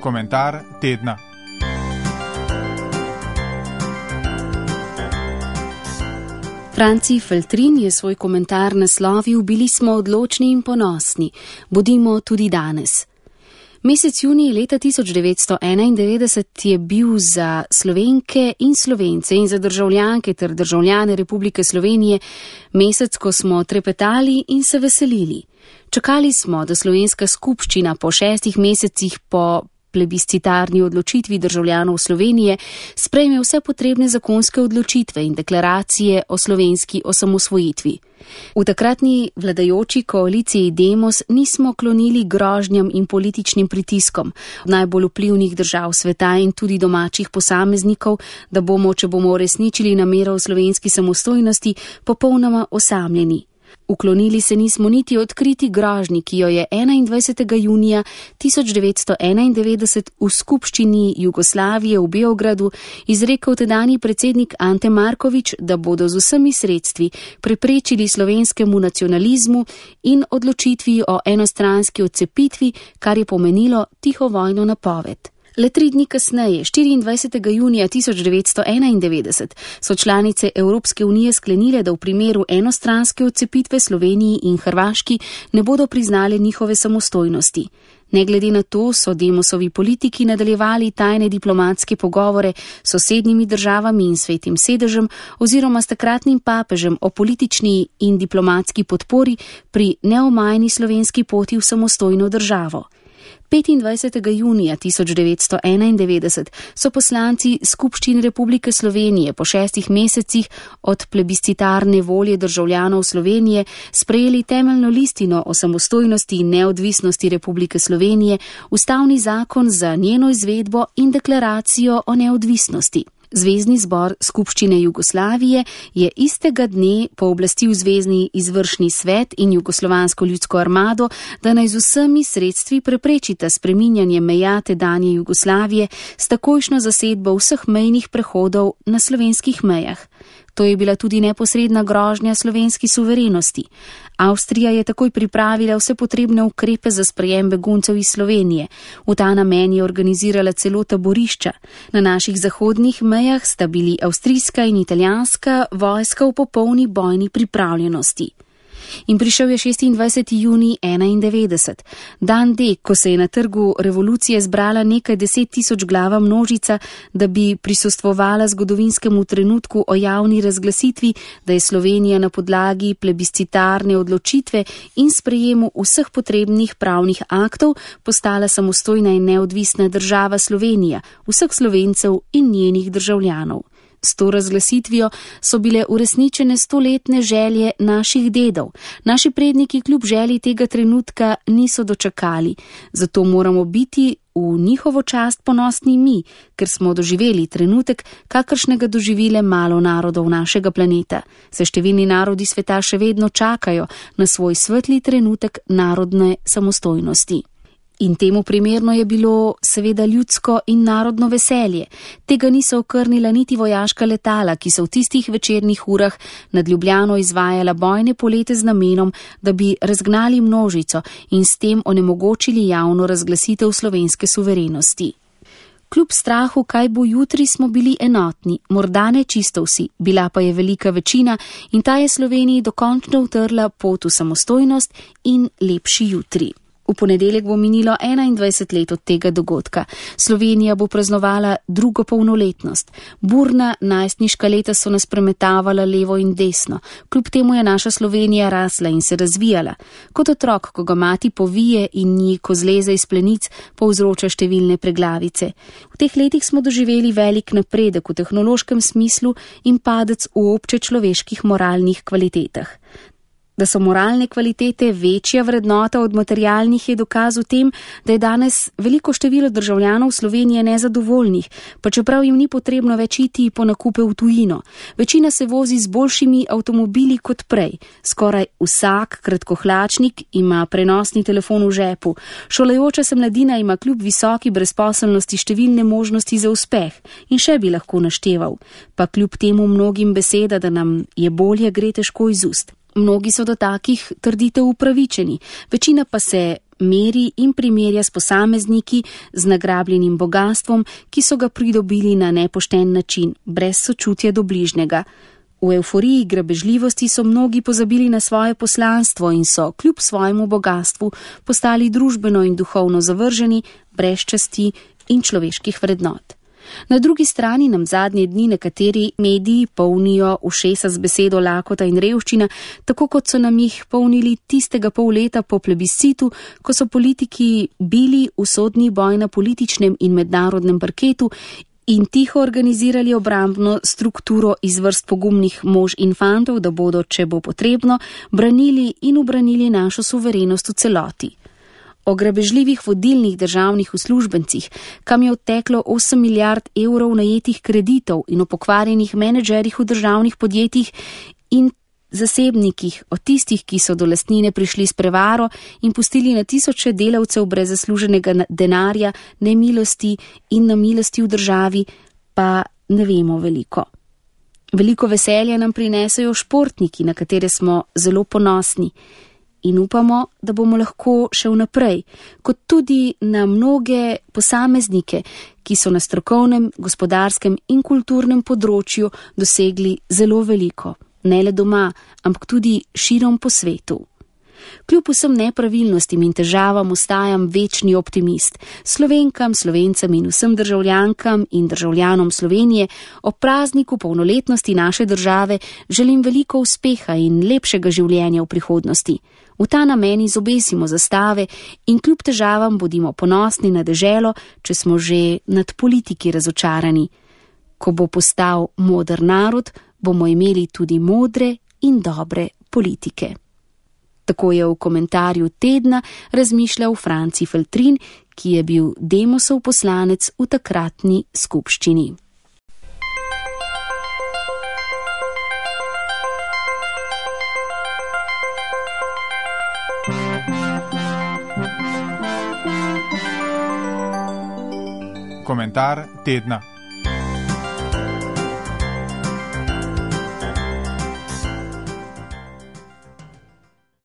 Komentar tedna. Franci Feltrin je svoj komentar naslovil: Bili smo odločni in ponosni, bodimo tudi danes. Mesec junij leta 1991 je bil za Slovenke in Slovence in za državljanke ter državljane Republike Slovenije mesec, ko smo trepetali in se veselili. Čakali smo, da slovenska skupščina po 6 mesecih po plebiscitarni odločitvi državljanov Slovenije sprejme vse potrebne zakonske odločitve in deklaracije o slovenski osamosvojitvi. V takratni vladajoči koaliciji Demos nismo klonili grožnjam in političnim pritiskom najbolj vplivnih držav sveta in tudi domačih posameznikov, da bomo, če bomo uresničili namero o slovenski samostojnosti, popolnoma osamljeni. Uklonili se nismo niti odkriti grožnji, ki jo je 21. junija 1991 v skupščini Jugoslavije v Beogradu izrekel tedanji predsednik Ante Marković, da bodo z vsemi sredstvi preprečili slovenskemu nacionalizmu in odločitvi o enostranski odcepitvi, kar je pomenilo tiho vojno napoved. Le 3 dni kasneje, 24. junija 1991, so članice Evropske unije sklenile, da v primeru enostranske odcepitve Sloveniji in Hrvaški ne bodo priznali njihove samostojnosti. Ne glede na to so Demosovi politiki nadaljevali tajne diplomatske pogovore s sosednjimi državami in Svetim sedežem oziroma s takratnim papežem o politični in diplomatski podpori pri neomajni slovenski poti v samostojno državo. 25. junija 1991 so poslanci Skupščine Republike Slovenije po 6 mesecih od plebiscitarne volje državljanov Slovenije sprejeli temeljno listino o samostojnosti in neodvisnosti Republike Slovenije, ustavni zakon za njeno izvedbo in deklaracijo o neodvisnosti. Zvezni zbor Skupščine Jugoslavije je istega dne pooblastil Zvezni izvršni svet in Jugoslovansko ljudsko armado, da naj z vsemi sredstvi preprečita spreminjanje meja tedanje Jugoslavije s takojšnjo zasedbo vseh mejnih prehodov na slovenskih mejah. To je bila tudi neposredna grožnja slovenski suverenosti. Avstrija je takoj pripravila vse potrebne ukrepe za sprejem beguncev iz Slovenije. V ta namen je organizirala celo taborišča. Na naših zahodnih mejah sta bili avstrijska in italijanska vojska v popolni bojni pripravljenosti. In prišel je 26. junij 1991, dan D, ko se je na trgu revolucije zbrala nekaj 10.000 glava množica, da bi prisostvovala zgodovinskemu trenutku o javni razglasitvi, da je Slovenija na podlagi plebiscitarne odločitve in sprejemu vseh potrebnih pravnih aktov postala samostojna in neodvisna država Slovenija, vseh Slovencev in njenih državljanov. S to razglasitvijo so bile uresničene 100-letne želje naših dedov. Naši predniki kljub želji tega trenutka niso dočakali, zato moramo biti v njihovo čast ponosni mi, ker smo doživeli trenutek, kakršnega doživile malo narodov našega planeta. Se številni narodi sveta še vedno čakajo na svoj svetli trenutek narodne samostojnosti. In temu primerno je bilo seveda ljudsko in narodno veselje. Tega niso okrnila niti vojaška letala, ki so v tistih večernih urah nad Ljubljano izvajala bojne polete z namenom, da bi razgnali množico in s tem onemogočili javno razglasitev slovenske suverenosti. Kljub strahu, kaj bo jutri, smo bili enotni, morda ne čisto vsi, bila pa je velika večina in ta je Sloveniji dokončno utrla pot v samostojnost in lepši jutri. V ponedeljek bo minilo 21 let od tega dogodka. Slovenija bo praznovala drugo polnoletnost. Burna najstniška leta so nas premetavala levo in desno. Kljub temu je naša Slovenija rasla in se razvijala. Kot otrok, ko ga mati povije in nji, ko zleze iz plenic, povzroča številne preglavice. V teh letih smo doživeli velik napredek v tehnološkem smislu in padec v obče človeških moralnih kvalitetah. Da so moralne kvalitete večja vrednota od materialnih, je dokaz v tem, da je danes veliko število državljanov Slovenije nezadovoljnih, pa čeprav jim ni potrebno več iti po nakupe v tujino. Večina se vozi z boljšimi avtomobili kot prej. Skoraj vsak kratkohlačnik ima prenosni telefon v žepu. Šolajoča se mladina ima kljub visoki brezposelnosti številne možnosti za uspeh in še bi lahko našteval. Pa kljub temu mnogim beseda, da nam je bolje, gre težko iz ust. Mnogi so do takih trditev upravičeni, večina pa se meri in primerja s posamezniki z nagrabljenim bogastvom, ki so ga pridobili na nepošten način, brez sočutja do bližnjega. V evforiji grabežljivosti so mnogi pozabili na svoje poslanstvo in so, kljub svojemu bogastvu, postali družbeno in duhovno zavrženi, brez časti in človeških vrednot. Na drugi strani nam zadnje dni nekateri mediji polnijo ušesa z besedo lakota in revščina, tako kot so nam jih polnili tistega pol leta po plebiscitu, ko so politiki bili usodni boj na političnem in mednarodnem parketu in tiho organizirali obrambno strukturo iz vrst pogumnih mož in fantov, da bodo, če bo potrebno, branili in ubranili našo suverenost v celoti. O grabežljivih vodilnih državnih uslužbencih, kam je odteklo 8 milijard evrov najetih kreditov in o pokvarjenih menedžerjih v državnih podjetjih in zasebnikih, o tistih, ki so do lastnine prišli s prevaro in pustili na tisoče delavcev brez zasluženega denarja, nemilosti in namilosti v državi, pa ne vemo veliko. Veliko veselja nam prinesajo športniki, na katere smo zelo ponosni. In upamo, da bomo lahko še vnaprej, kot tudi na mnoge posameznike, ki so na strokovnem, gospodarskem in kulturnem področju dosegli zelo veliko, ne le doma, ampak tudi širom po svetu. Kljub vsem nepravilnostim in težavam ostajam večni optimist. Slovenkam, Slovencem in vsem državljankam in državljanom Slovenije ob prazniku polnoletnosti naše države želim veliko uspeha in lepšega življenja v prihodnosti. V ta namen izobesimo zastave in kljub težavam bodimo ponosni na deželo, če smo že nad politiki razočarani. Ko bo postal moder narod, bomo imeli tudi modre in dobre politike. Tako je v komentarju tedna razmišljal Franci Feltrin, ki je bil Demosov poslanec v takratni skupščini. Komentar tedna.